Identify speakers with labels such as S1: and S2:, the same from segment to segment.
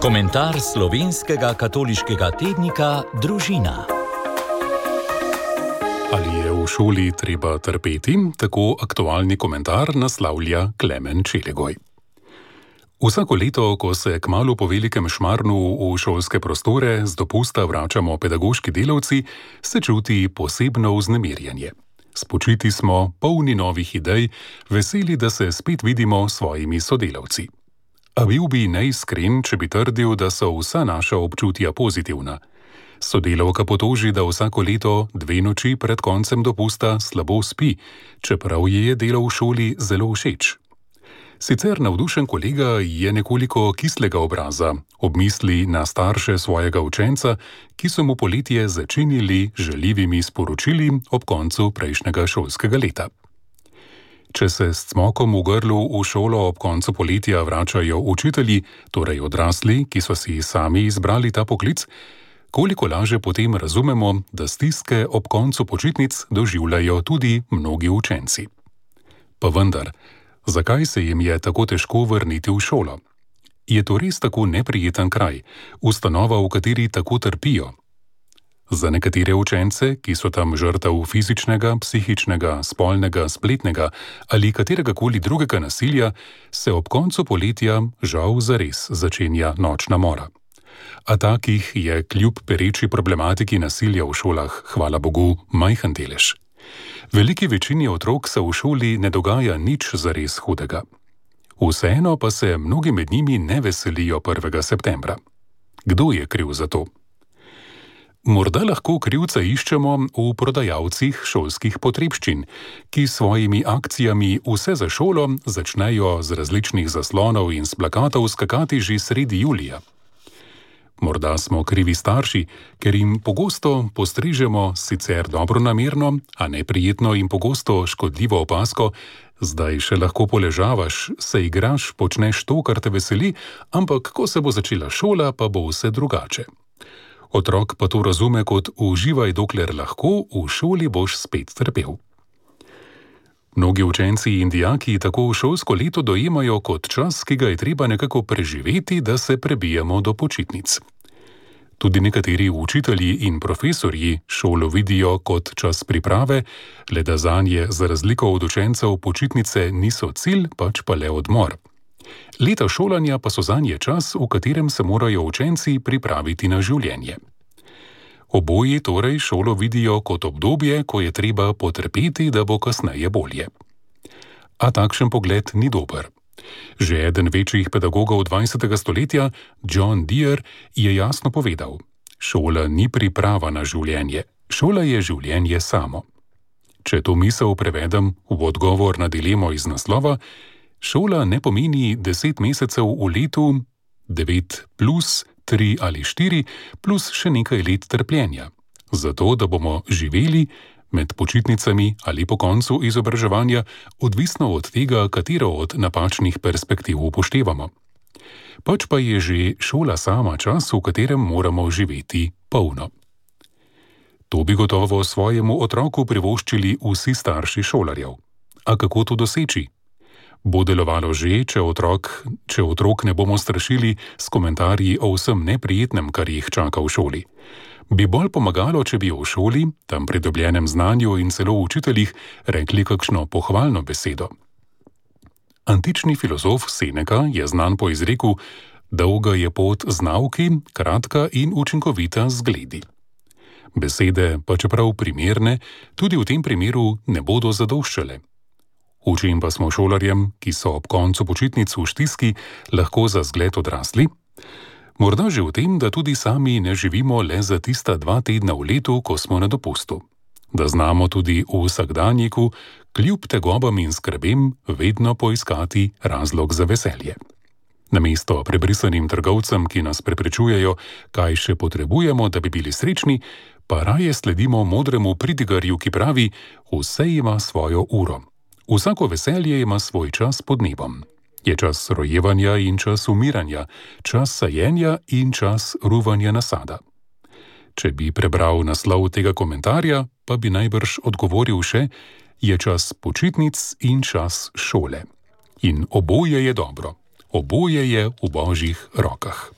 S1: Komentar slovenskega katoliškega tednika Družina.
S2: Ali je v šoli treba trpeti? Tako aktualni komentar naslavlja Klemen Čelegoj. Vsako leto, ko se kmalu po velikem šmarnu v šolske prostore z dopusta vračamo pedagoški delavci, se čuti posebno vznemirjenje. Spočiti smo, polni novih idej, veseli, da se spet vidimo s svojimi sodelavci. A bil bi neiskren, če bi trdil, da so vsa naša občutja pozitivna. Sodelavka potoži, da vsako leto 2 noči pred koncem dopusta slabo spi, čeprav ji je delo v šoli zelo všeč. Sicer navdušen kolega je nekoliko kislega obraza, ob misli na starše svojega učenca, ki so mu poletje začinili žaljivimi sporočili ob koncu prejšnjega šolskega leta. Če se s cmokom v grlu v šolo ob koncu poletja vračajo učitelji, torej odrasli, ki so si sami izbrali ta poklic, koliko laže potem razumemo, da stiske ob koncu počitnic doživljajo tudi mnogi učenci. Pa vendar, zakaj se jim je tako težko vrniti v šolo? Je to res tako neprijeten kraj, ustanova, v kateri tako trpijo? Za nekatere učence, ki so tam žrtev fizičnega, psihičnega, spolnega, spletnega ali kateregakoli drugega nasilja, se ob koncu poletja žal zares začenja nočna mora. A takih je kljub pereči problematiki nasilja v šolah, hvala Bogu, majhen delež. Veliki večini otrok se v šoli ne dogaja nič zares hudega. Vseeno pa se mnogi med njimi ne veselijo 1. septembra. Kdo je kriv za to? Morda lahko krivca iščemo v prodajalcih šolskih potrebščin, ki s svojimi akcijami Vse za šolo začnejo z različnih zaslonov in s plakatov skakati že sredi julija. Morda smo krivi starši, ker jim pogosto postrežemo sicer dobronamerno, a neprijetno in pogosto škodljivo opazko: zdaj še lahko poležavaš, se igraš, počneš to, kar te veseli, ampak ko se bo začela šola, pa bo vse drugače. Otrok pa to razume kot: uživaj dokler lahko, v šoli boš spet trpel. Mnogi učenci in dijaki tako šolsko leto dojemajo kot čas, ki ga je treba nekako preživeti, da se prebijemo do počitnic. Tudi nekateri učitelji in profesorji šolo vidijo kot čas priprave, le da zanje za razliko od učencev počitnice niso cilj, pač pa le odmor. Leta šolanja pa so zanje čas, v katerem se morajo učenci pripraviti na življenje. Oboji torej šolo vidijo kot obdobje, ko je treba potrpeti, da bo kasneje bolje. A takšen pogled ni dober. Že eden večjih pedagogov 20. stoletja, John Deere, je jasno povedal: šola ni priprava na življenje, šola je življenje samo. Če to misel prevedem v odgovor na dilemo iz naslova, šola ne pomeni 10 mesecev v letu, 9 plus 3 ali 4 plus še nekaj let trpljenja, zato da bomo živeli med počitnicami ali po koncu izobraževanja, odvisno od tega, katero od napačnih perspektiv upoštevamo. Pač pa je že šola sama čas, v katerem moramo živeti polno. To bi gotovo svojemu otroku privoščili vsi starši šolarjev. A kako to doseči? Bo delovalo že, če otrok ne bomo strašili s komentarji o vsem neprijetnem, kar jih čaka v šoli. Bi bolj pomagalo, če bi v šoli, tam pridobljenem znanju in celo učiteljih, rekli kakšno pohvalno besedo. Antični filozof Seneca je znan po izreku: dolga je pot z nauki, kratka in učinkovita z zgledi. Besede, pa čeprav primerne, tudi v tem primeru ne bodo zadoščale. Učim pa smo šolarjem, ki so ob koncu počitnic v stiski, lahko za zgled odrasli? Morda že v tem, da tudi sami ne živimo le za tista 2 tedna v letu, ko smo na dopustu. Da znamo tudi v vsakdanjiku, kljub tegobam in skrbem, vedno poiskati razlog za veselje. Namesto prebrisanim trgovcem, ki nas preprečujejo, kaj še potrebujemo, da bi bili srečni, pa raje sledimo modremu pridigarju, ki pravi: vse ima svojo uro. Vsako veselje ima svoj čas pod nebom. Je čas rojevanja in čas umiranja, čas sajenja in čas ruvanja nasada. Če bi prebral naslov tega komentarja, pa bi najbrž odgovoril še: je čas počitnic in čas šole. In oboje je dobro, oboje je v Božjih rokah.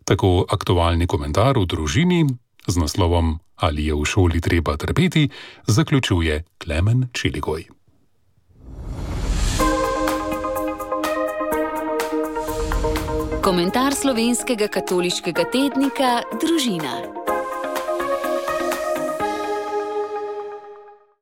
S2: Tako aktualni komentar v družini z naslovom Ali je v šoli treba trpeti, zaključuje Klemen Čeligoj.
S3: Komentar slovenskega katoliškega tednika Družina.